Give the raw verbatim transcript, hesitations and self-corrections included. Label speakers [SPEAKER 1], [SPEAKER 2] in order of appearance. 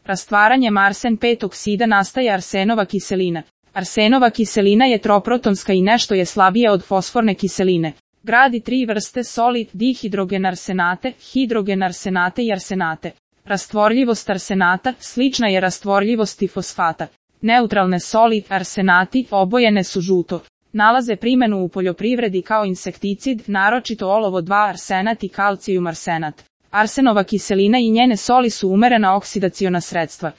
[SPEAKER 1] Rastvaranjem arsen pet oksida nastaje arsenova kiselina. Arsenova kiselina je troprotonska i nešto je slabija od fosforne kiseline. Gradi tri vrste soli, dihidrogenarsenate, hidrogenarsenate i arsenate. Rastvorljivost arsenata slična je rastvorljivosti fosfata. Neutralne soli, arsenati, obojene su žuto. Nalaze primjenu u poljoprivredi kao insekticid, naročito olovo dva arsenat i kalcijum arsenat. Arsenova kiselina i njene soli su umerena oksidaciona sredstva.